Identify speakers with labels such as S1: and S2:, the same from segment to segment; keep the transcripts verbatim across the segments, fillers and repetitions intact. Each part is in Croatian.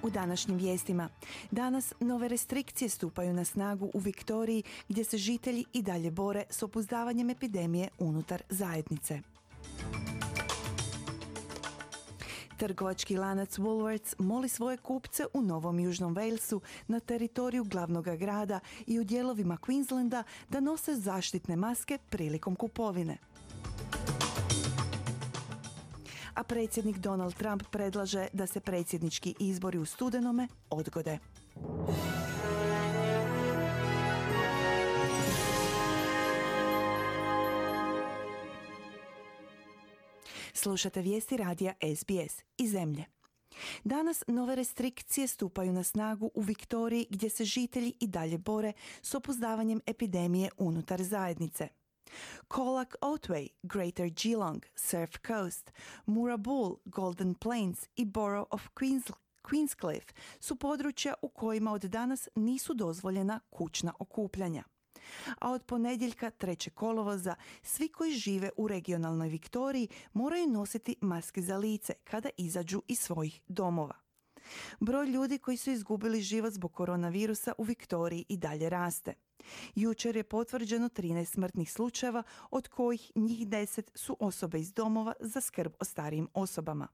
S1: U današnjim vijestima. Danas nove restrikcije stupaju na snagu u Viktoriji gdje se žitelji i dalje bore s opuzdavanjem epidemije unutar zajednice. Trgovački lanac Woolworths moli svoje kupce u Novom Južnom Walesu na teritoriju glavnog grada i u dijelovima Queenslanda da nose zaštitne maske prilikom kupovine. A predsjednik Donald Trump predlaže da se predsjednički izbori u studenome odgode. Slušate vijesti radija S B S iz zemlje. Danas nove restrikcije stupaju na snagu u Viktoriji gdje se žitelji i dalje bore s opuzdavanjem epidemije unutar zajednice. Colac Otway, Greater Geelong, Surf Coast, Moorabool, Golden Plains i Borough of Queens, Queenscliff su područja u kojima od danas nisu dozvoljena kućna okupljanja. A od ponedjeljka trećeg kolovoza svi koji žive u regionalnoj Viktoriji moraju nositi maske za lice kada izađu iz svojih domova. Broj ljudi koji su izgubili život zbog koronavirusa u Viktoriji i dalje raste. Jučer je potvrđeno trinaest smrtnih slučajeva, od kojih njih deset su osobe iz domova za skrb o starijim osobama.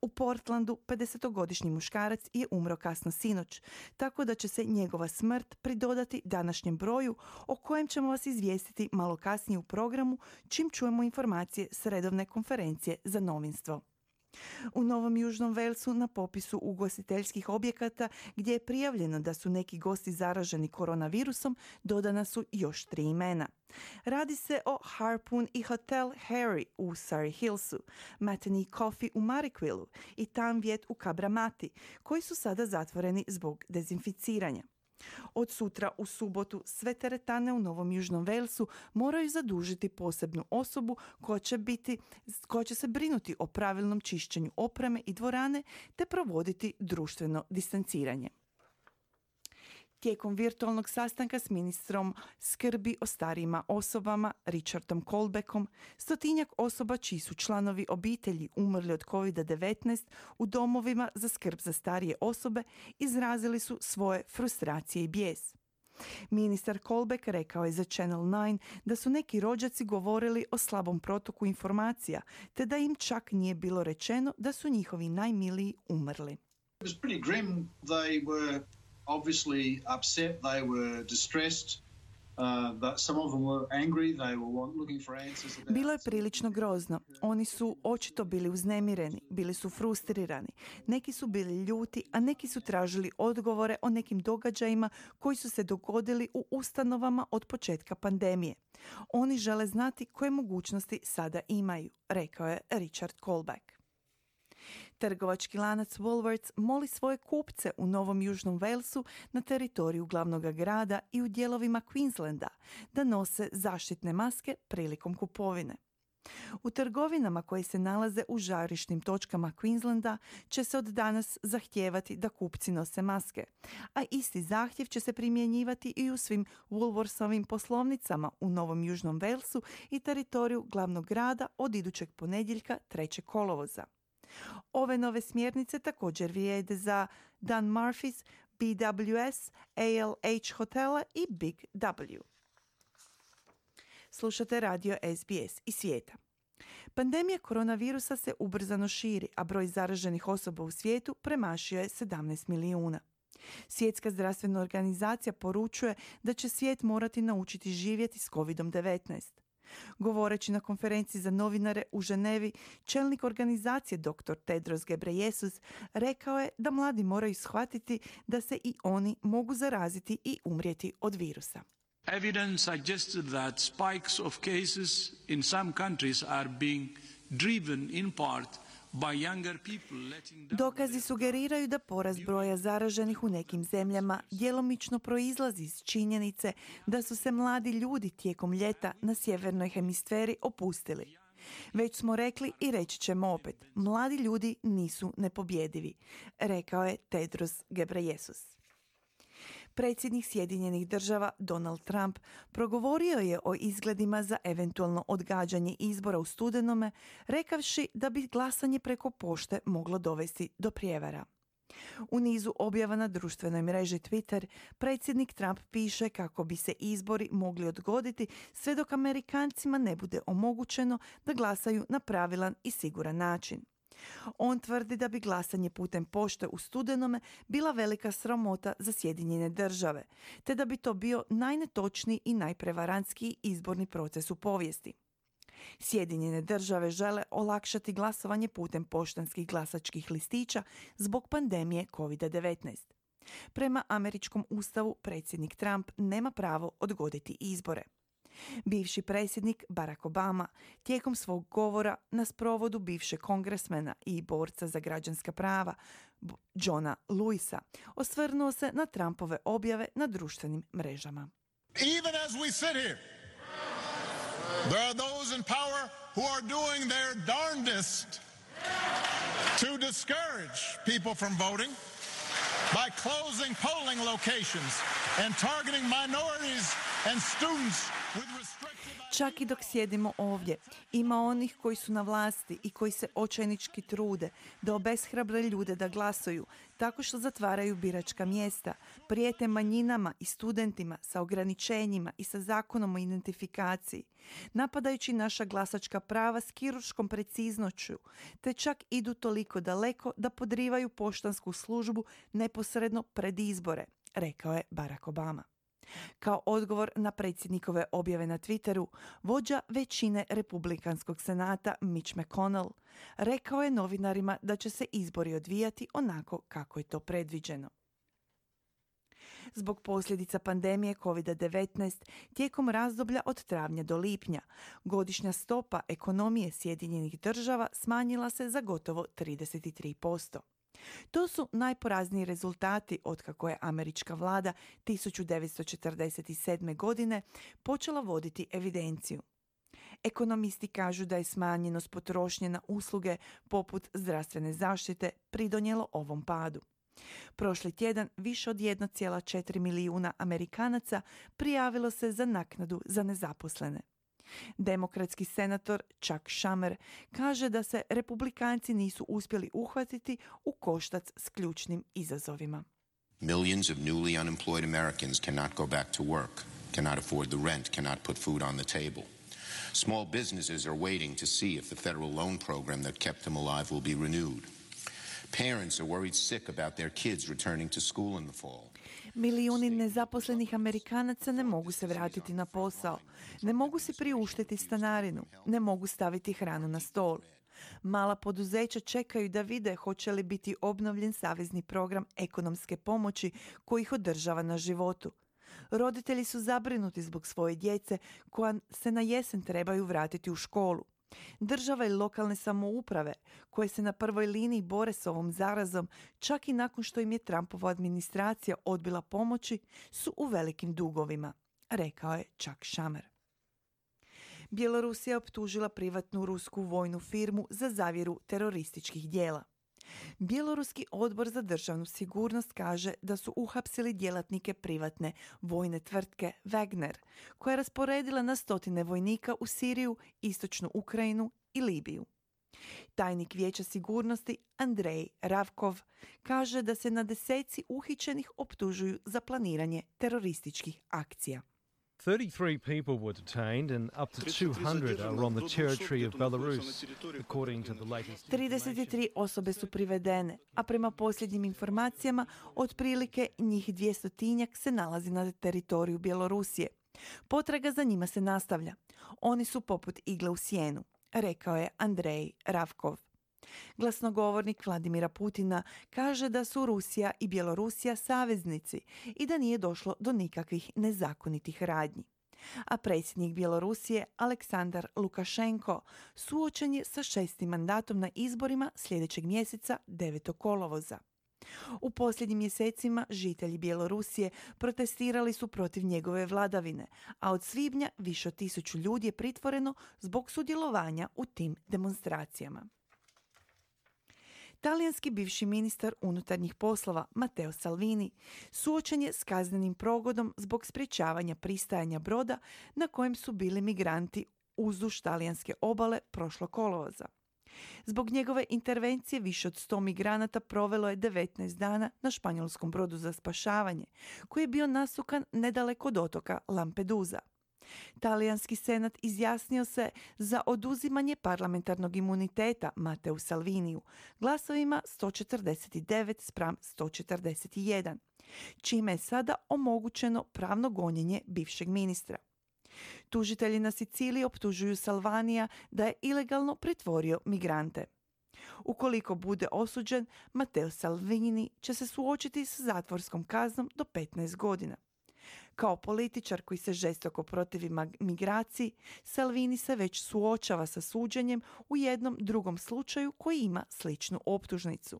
S1: U Portlandu pedesetogodišnji muškarac je umro kasno sinoć, tako da će se njegova smrt pridodati današnjem broju o kojem ćemo vas izvijestiti malo kasnije u programu čim čujemo informacije s redovne konferencije za novinstvo. U Novom Južnom Walesu na popisu ugostiteljskih objekata gdje je prijavljeno da su neki gosti zaraženi koronavirusom dodana su još tri imena. Radi se o Harpoon i Hotel Harry u Surrey Hillsu, Matinee Coffee u Marrickvillu i Tanviet u Kabramati, koji su sada zatvoreni zbog dezinficiranja. Od sutra u subotu sve teretane u Novom Južnom Walesu moraju zadužiti posebnu osobu koja će, biti, koja će se brinuti o pravilnom čišćenju opreme i dvorane te provoditi društveno distanciranje. Tijekom virtualnog sastanka s ministrom skrbi o starijima osobama Richardom Colbeckom, stotinjak osoba čiji su članovi obitelji umrli od kovid devetnaest u domovima za skrb za starije osobe izrazili su svoje frustracije i bijes. Ministar Colbeck rekao je za Channel nine da su neki rođaci govorili o slabom protoku informacija, te da im čak nije bilo rečeno da su njihovi najmiliji umrli.
S2: It was pretty grim. They were obviously upset, they were distressed, uh, but some of them were angry, they were looking for answers about...
S1: Bilo je prilično grozno. Oni su očito bili uznemireni, bili su frustrirani. Neki su bili ljuti, a neki su tražili odgovore o nekim događajima koji su se dogodili u ustanovama od početka pandemije. Oni žele znati koje mogućnosti sada imaju, rekao je Richard Colbeck. Trgovački lanac Woolworths moli svoje kupce u Novom Južnom Walesu na teritoriju glavnog grada i u dijelovima Queenslanda da nose zaštitne maske prilikom kupovine. U trgovinama koje se nalaze u žarišnim točkama Queenslanda će se od danas zahtijevati da kupci nose maske, a isti zahtjev će se primjenjivati i u svim Woolworthsovim poslovnicama u Novom Južnom Walesu i teritoriju glavnog grada od idućeg ponedjeljka trećeg kolovoza. Ove nove smjernice također vrijede za Dan Murphy's, B W S, A L H hotela i Big W. Slušate radio S B S iz svijeta. Pandemija koronavirusa se ubrzano širi, a broj zaraženih osoba u svijetu premašio je sedamnaest milijuna. Svjetska zdravstvena organizacija poručuje da će svijet morati naučiti živjeti s kovid devetnaest. Govoreći na konferenciji za novinare u Ženevi, čelnik organizacije doktor Tedros Ghebreyesus rekao je da mladi moraju shvatiti da se i oni mogu zaraziti i umrijeti od virusa.
S3: Evidence suggested that spikes of cases in some countries are being driven in part by younger people letting down.
S1: Dokazi sugeriraju da porast broja zaraženih u nekim zemljama djelomično proizlazi iz činjenice da su se mladi ljudi tijekom ljeta na sjevernoj hemisferi opustili. Već smo rekli i reći ćemo opet, mladi ljudi nisu nepobjedivi, rekao je Tedros Ghebreyesus. Predsjednik Sjedinjenih država Donald Trump progovorio je o izgledima za eventualno odgađanje izbora u studenome, rekavši da bi glasanje preko pošte moglo dovesti do prijevara. U nizu objava na društvenoj mreži Twitter, predsjednik Trump piše kako bi se izbori mogli odgoditi sve dok Amerikancima ne bude omogućeno da glasaju na pravilan i siguran način. On tvrdi da bi glasanje putem pošte u studenome bila velika sramota za Sjedinjene države, te da bi to bio najnetočniji i najprevarantskiji izborni proces u povijesti. Sjedinjene države žele olakšati glasovanje putem poštanskih glasačkih listića zbog pandemije kovid devetnaest. Prema američkom ustavu predsjednik Trump nema pravo odgoditi izbore. Bivši predsjednik Barack Obama tijekom svog govora na sprovodu bivšeg kongresmena i borca za građanska prava Johna Lewisa osvrnuo se na Trumpove objave na društvenim mrežama.
S4: Even as we sit here, there are those in power who are doing their darndest to discourage people from voting by closing polling locations and targeting minorities and students with restrictive...
S1: Čak i dok sjedimo ovdje, ima onih koji su na vlasti i koji se očajnički trude da obeshrabre ljude da glasuju tako što zatvaraju biračka mjesta, prijete manjinama i studentima sa ograničenjima i sa zakonom o identifikaciji, napadajući naša glasačka prava s kirurškom preciznošću, te čak idu toliko daleko da podrivaju poštansku službu neposredno pred izbore, rekao je Barack Obama. Kao odgovor na predsjednikove objave na Twitteru, vođa većine Republikanskog senata Mitch McConnell rekao je novinarima da će se izbori odvijati onako kako je to predviđeno. Zbog posljedica pandemije kovid devetnaest tijekom razdoblja od travnja do lipnja, godišnja stopa ekonomije Sjedinjenih država smanjila se za gotovo trideset tri posto. To su najporazniji rezultati otkako je američka vlada tisuću devetsto četrdeset sedme. godine počela voditi evidenciju. Ekonomisti kažu da je smanjenost potrošnje na usluge poput zdravstvene zaštite pridonijelo ovom padu. Prošli tjedan više od jedan zarez četiri milijuna Amerikanaca prijavilo se za naknadu za nezaposlene. Demokratski senator Chuck Schumer kaže da se Republikanci nisu uspjeli uhvatiti u koštac s ključnim izazovima.
S5: Millions of newly unemployed Americans cannot go back to work, cannot afford the rent, cannot put food on the table. Small businesses are waiting to see if the federal loan program that kept them alive will be renewed. Parents are worried sick about their kids returning to school in the fall.
S1: Milijuni nezaposlenih Amerikanaca ne mogu se vratiti na posao, ne mogu si priuštiti stanarinu, ne mogu staviti hranu na stol. Mala poduzeća čekaju da vide hoće li biti obnovljen savezni program ekonomske pomoći koji ih održava na životu. Roditelji su zabrinuti zbog svoje djece koja se na jesen trebaju vratiti u školu. Država i lokalne samouprave, koje se na prvoj liniji bore s ovom zarazom, čak i nakon što im je Trumpova administracija odbila pomoći, su u velikim dugovima, rekao je Chuck Schumer. Bjelorusija je optužila privatnu rusku vojnu firmu za zavjeru terorističkih dijela. Bjeloruski odbor za državnu sigurnost kaže da su uhapsili djelatnike privatne vojne tvrtke Wagner, koja je rasporedila na stotine vojnika u Siriju, istočnu Ukrajinu i Libiju. Tajnik Vijeća sigurnosti Andrej Ravkov kaže da se na deseci uhićenih optužuju za planiranje terorističkih akcija.
S6: thirty-three people were detained and up to two hundred are on the territory of Belarus, according to the latest
S1: trideset tri osobe su privedene, a prema posljednjim informacijama otprilike njih dvjestotinjak se nalazi na teritoriju Bjelorusije. Potraga za njima se nastavlja. Oni su poput igle u sjenu, rekao je Andrej Ravkov. Glasnogovornik Vladimira Putina kaže da su Rusija i Bjelorusija saveznici i da nije došlo do nikakvih nezakonitih radnji. A predsjednik Bjelorusije Aleksandar Lukašenko suočen je sa šestim mandatom na izborima sljedećeg mjeseca devetog kolovoza. U posljednjim mjesecima žitelji Bjelorusije protestirali su protiv njegove vladavine, a od svibnja više od tisuću ljudi je pritvoreno zbog sudjelovanja u tim demonstracijama. Talijanski bivši ministar unutarnjih poslova Matteo Salvini suočen je s kaznenim progonom zbog sprječavanja pristajanja broda na kojem su bili migranti uzduž talijanske obale prošlog kolovoza. Zbog njegove intervencije više od sto migranata provelo je devetnaest dana na španjolskom brodu za spašavanje, koji je bio nasukan nedaleko od otoka Lampedusa. Talijanski senat izjasnio se za oduzimanje parlamentarnog imuniteta Matteu Salviniju glasovima sto četrdeset devet spram sto četrdeset jedan, čime je sada omogućeno pravno gonjenje bivšeg ministra. Tužitelji na Siciliji optužuju Salvanija da je ilegalno pritvorio migrante. Ukoliko bude osuđen, Matteo Salvini će se suočiti sa zatvorskom kaznom do petnaest godina. Kao političar koji se žestoko protivi migraciji, Salvini se već suočava sa suđenjem u jednom drugom slučaju koji ima sličnu optužnicu.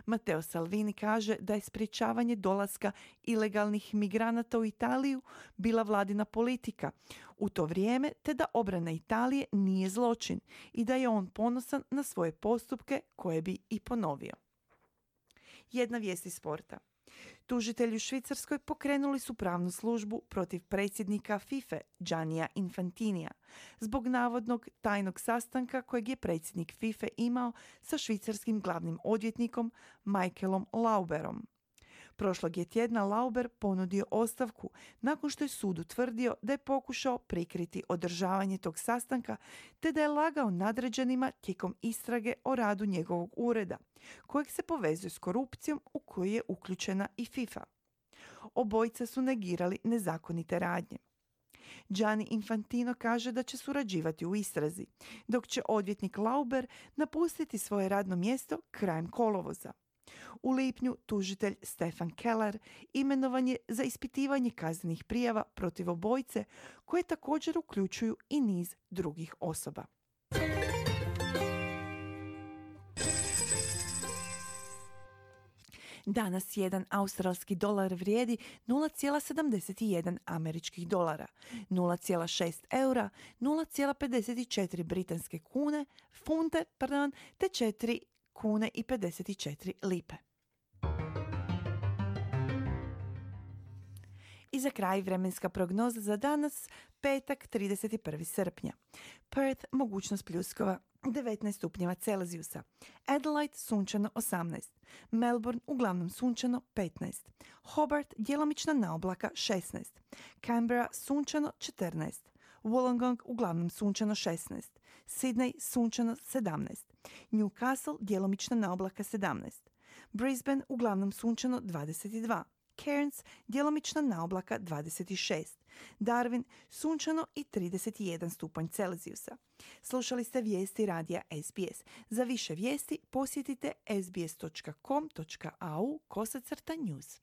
S1: Matteo Salvini kaže da je sprječavanje dolaska ilegalnih migranata u Italiju bila vladina politika u to vrijeme, te da obrana Italije nije zločin i da je on ponosan na svoje postupke koje bi i ponovio. Jedna vijest iz sporta. Tužitelji u Švicarskoj pokrenuli su pravnu službu protiv predsjednika FIFA Giannija Infantinija zbog navodnog tajnog sastanka kojeg je predsjednik FIFA imao sa švicarskim glavnim odvjetnikom Michaelom Lauberom. Prošlog je tjedna Lauber ponudio ostavku nakon što je sud utvrdio da je pokušao prikriti održavanje tog sastanka te da je lagao nadređenima tijekom istrage o radu njegovog ureda, kojeg se povezuje s korupcijom u koju je uključena i FIFA. Obojica su negirali nezakonite radnje. Gianni Infantino kaže da će surađivati u istrazi, dok će odvjetnik Lauber napustiti svoje radno mjesto krajem kolovoza. U lipnju tužitelj Stefan Keller imenovan je za ispitivanje kaznenih prijava protiv obojice koje također uključuju i niz drugih osoba. Danas jedan australski dolar vrijedi nula zarez sedamdeset jedan američkih dolara, nula zarez šest eura, nula zarez pedeset četiri britanske kune, funte, pardon, te četiri kune i pedeset četiri lipe. I za kraj vremenska prognoza za danas, petak trideset prvi srpnja. Perth, mogućnost pljuskova, devetnaest stupnjeva Celzijusa. Adelaide, sunčano osamnaest. Melbourne, uglavnom sunčano petnaest. Hobart, djelomična naoblaka šesnaest. Canberra, sunčano četrnaest. Wollongong, uglavnom sunčano šesnaest. Sydney, sunčano sedamnaest. Newcastle, djelomična naoblaka sedamnaest. Brisbane, uglavnom sunčano dvadeset dva. Cairns, djelomična naoblaka dvadeset šest. Darwin, sunčano i trideset jedan stupanj Celzijusa. Slušali ste vijesti radija S B S. Za više vijesti posjetite sbs dot com dot a u kosacrta news.